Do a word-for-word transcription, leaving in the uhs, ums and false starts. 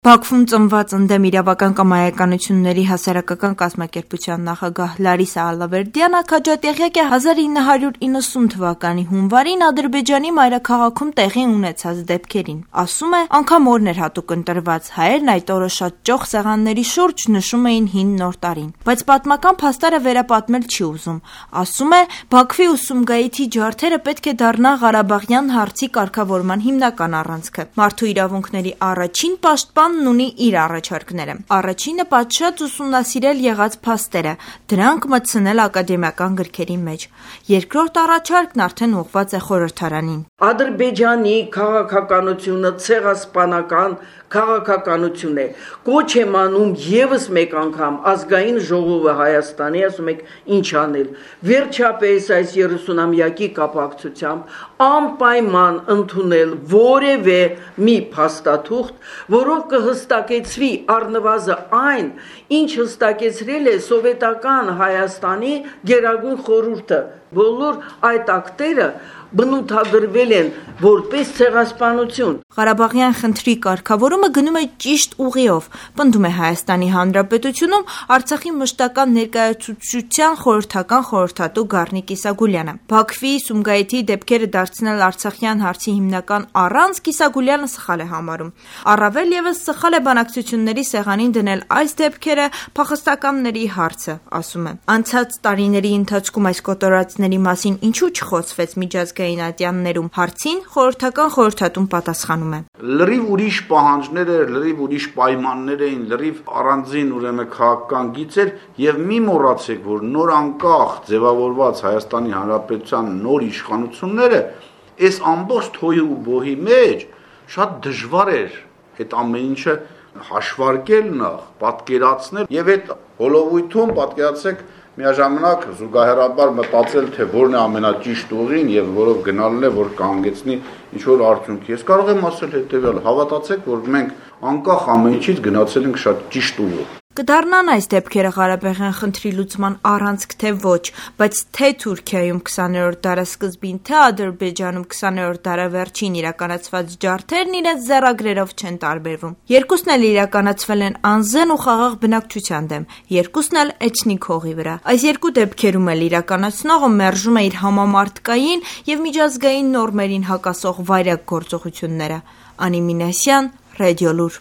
Բաքվում ծնված ընդդեմ իրավական կամայականությունների հասարակական կազմակերպության նախագահ Լարիսա Ալավերդյանը քաջատեղյակ է հազար ինը հարյուր իննսուն թվականի հունվարին Ադրբեջանի մայրաքաղաքում տեղի ունեցած դեպքերին։ Ասում է, անգամ օրն էր հատուկ ընտրված, հայերն այդ օրը շատ ճոխ սեղանների շուրջ նշում էին հին նոր տարին։ Բայց պատմական փաստերը վերապատմել չի ուզում։ Ասում է, Բաքվի ուսումգայիթի ջարդերը պետք է դառնան Ղարաբաղյան հարցի կարգավորման հիմնական առանցքը։ Մարդու իրավունքների առաջին պաշտպան ունի իր առաջարկները։ Առաջինը պատշաճ ուսումնասիրել եղած փաստերը, դրանք մտցնել ակադեմիական գրքերի մեջ։ Երկրորդ առաջարկն արդեն ուղղված է խորհրդարանին։ Ադրբեջանի քաղաքականությունը ցեղասպանական քաղաքականություն է։ Կոչ եմ անում եւս մեկ անգամ ազգային ժողովը Հայաստանի, ասում եք, ինչ անել։ Վերջապես այս երեսունամյակի կապակցությամբ անպայման ընդունել որևէ մի փաստաթուղթ, որով կհստակեցվի առնվազն այն, ինչ հստակեցրել է սովետական Հայաստանի Գերագույն խորհուրդը։ Բոլոր այդ ակտերը բնութագրվել են որպես ցեղասպանություն։ Ղարաբաղյան խնդրի կարգավորումը գնում է ճիշտ ուղիով, պնդում է Հայաստանի Հանրապետությունում Արցախի մշտական ներկայացուցչության խորհրդական խորհրդատու Գառնիկ Իսագուլյանը։ Բաքվի Սումգայիթի դեպքերը դարձնել արցախյան հարցի հիմնական առանցք Իսագուլյանը սխալ է համարում։ Առավել ևս սխալ է բանակցությունների սեղանին դնել այս դեպքերը փախստականների հարցը, ասում է։ Անցած տարիների ընթացքում այս կոտորածների մասին ինչու չխոսվեց միջազգային ատյաններում հարցին խորհրդական խորհրդատուն պատասխանում է։ Լրիվ ուրիշ պահանջներ էր, լրիվ ուրիշ պայմաններ էին, լրիվ առանձին ուրեմն քաղաքական գիծեր եւ մի մոռացեք, որ նոր անկախ ձևավորված Հայաստանի Հանրապետության նոր իշխանությունները այս ամբողջ թոյի ու բոհի մեջ շատ դժվար էր այդ ամեն ինչը հաշվարկել նախ, պատկերացնել եւ այդ հոլովույթում պատկերացեք միաժամանակ զուգահեռաբար մտածել, թե որն է ամենաճիշտ ուղին եւ որով գնալն է, որ կանգեցնի ինչ որ արդյունքի։ Ես կարող եմ ասել հետեւյալ, հավատացեք, որ մենք անկախ ամեն ինչից գնացել ենք շատ ճիշտ ուղով։ Կդառնան այս դեպքերը Ղարաբաղյան խնդրի լուծման առանցք թե ոչ, բայց թե Թուրքիայում քսաներորդ դարասկզբին, թե Ադրբեջանում քսաներորդ դարավերջին իրականացված ջարդերն իրենց ձեռագրերով չեն տարբերվում։ Երկուսն էլ իրականացվել են անզեն ու խաղաղ բնակչության դեմ, երկուսն էլ էթնիկ հողի վրա։ Այս երկու դեպքերում էլ իրականացնողը մերժում է իր համամարտկային եւ միջազգային նորմերին հակասող վայրագ գործողությունները։ Անի Մինասյան, Ռադիոլուր։